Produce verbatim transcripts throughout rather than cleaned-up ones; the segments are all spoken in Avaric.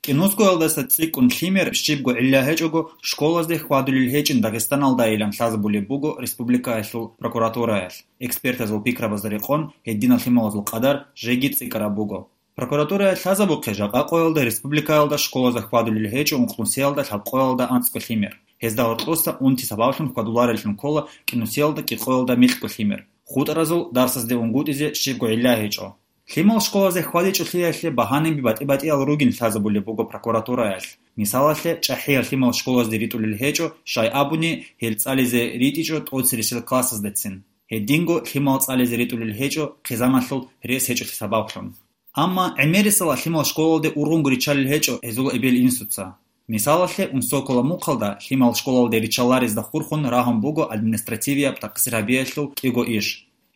КӀинусгоялдаса цӀикӀкӀун лъимер щибго гӀилла гьечӀого школазде хьвадулел гьечӀин Дагъистаналдайилан лъазабулеб буго республикаялъул прокуратураялъ. Экспертазул пикрабазда рекъон, гьединал лъималазул къадар жеги цӀикӀкӀараб буго. Прокуратурая лъазабухъе жакъа къоялда республикаялда школазда хьвадулел гьечӀо ункънусиялда лъабкъоялда анцӀго лъимер. Гьезда гьоркьоса унти сабаблъун хьвадулареллъун ккола кӀинусиялда кӀикъоялда микьго лъимер. ХутӀаразул дарсазде унгутӀизе щибго гӀилла гьечӀо. Лъимал школазе хьвадичӀолъиялъе багьанаби батӀи-батӀиял ругин лъазабулеб буго прокуратураялъ. Мисалалъе, чӀахӀиял лъимал школазде ритӀулел гьечӀо, щай абуни, гьел цӀализе ритӀичӀо тӀоцересел классаздецин. Гьединго лъимал цӀализе ритӀулел гьечӀо хъизаналъул рес гьечӀолъи сабаблъун. Амма гӀемерисела лъимал школалде ургъунго риччалел гьечӀо гьезул эбел-инсуца. Мисалалъе, Унсокола мухъалда лъимал школалде риччаларезда хурхун рагьун буго административияб такъсир гьабиялъул кӀиго иш.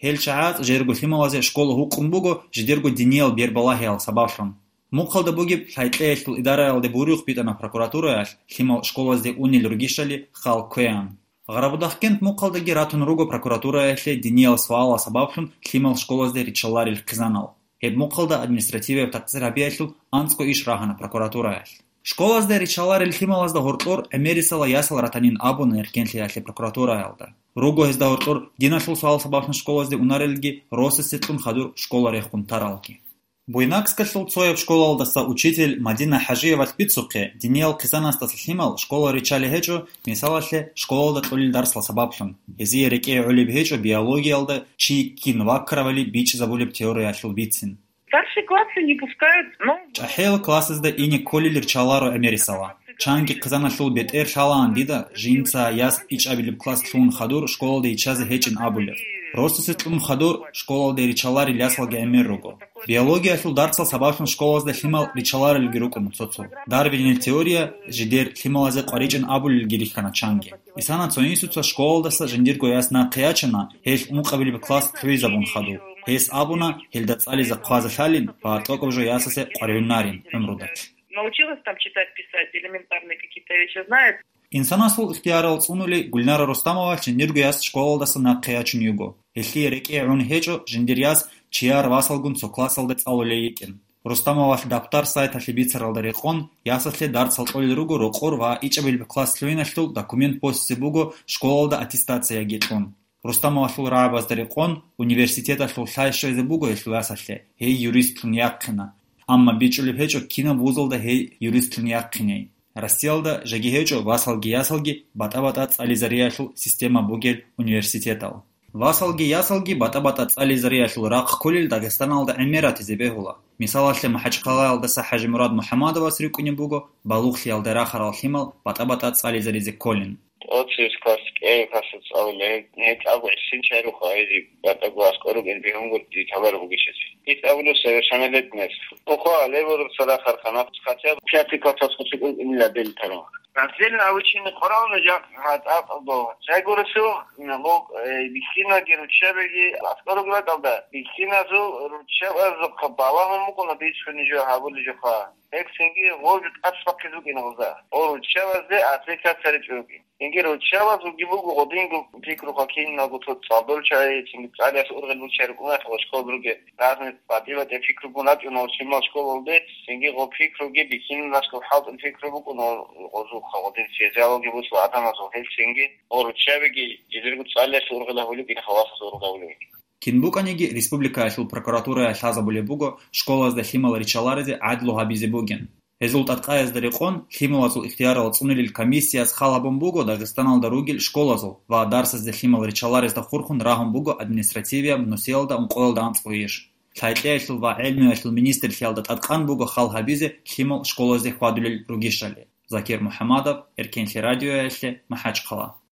Гьел чагӀаз жерго лъималазе школа гьукъун буго жидерго диниял бербалагьиял сабаблъун. Мухъалда бугеб лъайкьеялъул идараялде буриухъ битӀана прокуратураялъ лъимал школазде унел ругищали хал кквеян. Гъарабудахъкент мухъалдаги ратун руго прокуратураялъе диниял суалал сабаблъун лъимал школазде риччаларел хъизанал. Гьеб мухъалда административияб такъсир гьабиялъул анцӀго иш рагьана прокуратураялъ. Школазда риччаларел лъималазда гьоркьор гӀемерисела ясал ратанин абуна Эркенлъиялъе прокуратураялда. Руго гьезда гьоркьор диналъул суал сабаблъун школазде унарелги росасе кьун хадур школа рехун таралги. Буйнакскалъул цояб школалдаса учитель Мадина ХӀажиевалъ бицухъе, диниял хъизанасдаса лъимал школа риччалел гьечӀо, мисалалъе, школалда кьолел дарсал сабаблъун. Гьезие рекӀее гӀолеб гьечӀо биологиялда чи кин ваккаравали бичӀчӀизабулеб теориялъул бицин. Старшие классы не пускают, но... ЧӀахӀиял классазда ине кколел риччаларо гӀемерисела. Чанги хъизаналъул бетӀер лъалаан дида жинца яс ичӀабилеб класс лъугьун хадур школалде иччазе гьечӀин абулеб. Росасе кьун хадур школалде риччаларел ясалги гӀемер руго. Биологиялъул дарсал сабаблъун школазда лъимал риччаларелги рукӀуна цо-цо. Дарвинил теория жидер лъималазе къваричӀин абулелги рихьана чанги. Исана цо инсуца школалдаса жиндирго яс нахъе ячана, гьелъ ункъабилеб класс лъугӀизабун хадуб. Гьес абуна, гьелда цӀализе хъвазе лъалин ва тӀокӀаб жо ясасе къваригӀунарин гӀумрудалъ. Научилась там читать, писать, элементарные какие-то вещи знает. Инсанасул ихтиярал цӀунули Гульнара Рустамовалъ жиндирго яс школалдаса нахъе ячун йиго. Гьелъие рекӀее гӀун гьечӀо жиндир яс чияр васалгун цо классалда цӀалулей йикӀин. Рустамовалъ Даптар сайталъе бицаралда рекъон, ясалъе дарсал кьолел руго рокъор ва ичӀабилеб класс лъугьиналъул документ босизе буго школалда аттестацияги кьун. Рустамовалъул рагӀабазда рекъон, университеталъул лъай щвезе буго гьелъул ясалъе, гьей юристлъун яхъина. Амма бичӀчӀулеб гьечӀо кинаб вузалда гьей юристлъун яхъиней. Россиялда жеги гьечӀо васалги ясалги батӀа-батӀа цӀализариялъул система бугел университетал. Васалги ясалги батӀа-батӀа цӀализариялъул рахъ кколел Дагъистаналда гӀемер ратизе бегьула. Мисалалъе, МахӀачхъалаялдаса ХӀажимурад МухӀаммадовас рикӀкӀунеб буго балугълъиялда рахарал лъимал батӀа-батӀа цӀализаризе кколин. Оцис класс кӀел классалъ цӀалулел, гьел тӀаде гӀисин чарухъ гьезие батӀаго аскӀор ругел бегьунгутӀи диталар бугищ гьес. Ит абулеб совершеннолетность. Тухха лебураб цадахъ архана, хотя бы пятый классалъ хъулъи кӀун инила бел тару. Раздельно обучение къоралда жакъ гьатӀакъго. Жагурасул налог, э, бихьинаги руччабиги аскӀор ругел ракӀалда, бихьиназул руччабазухъа балагьун букӀуна бицунеб жо гьабулеб жоха. Гьеб цинги гъов жо тӀасбахъизе букӀина гъоза. Гъо руччабазде аттестация ричӀо ругин. Цинги руччабазулги буго гъодинго пикруха киналго цо цӀалдолчагӀи, цинги цӀалиялъ ургъел руччаби рукӀунатӀ ва школалда ругел разный батӀи-батӀи пикругун рачӀуна гъо лъимал школалде, цинги гъо пикруги бихьинасго хӀалтӀул пикру букӀуна гъозухъа гъодин физиологи бусла адамазул гьел цинги гъо руччабиги жидерго цӀалиялъ ургъел гьавулеб ин халасазул ургъавулеб. Кин букӀаниги, республикаялъул прокуратурая лъазабулеб буго школазда лъимал риччаларизе гӀадлу гьабизе бугин. Гьезул тӀадкъаязда рекъон, лъималазул ихтиярал цӀунулел комиссияс хал гьабун буго Дагъистаналда ругел школазул ва дарсазде лъимал риччаларезда хурхун рагьун буго административияб нусиялда ункъоялда анцӀго иш. Лъайкьеялъул ва гӀелмуялъул министрлъиялда тӀадкъан буго хал гьабизе лъимал школазде хьвадулел ругищали. Закир МухӀаммадов, Эркенлъи радиоялъе, МахӀачхъала.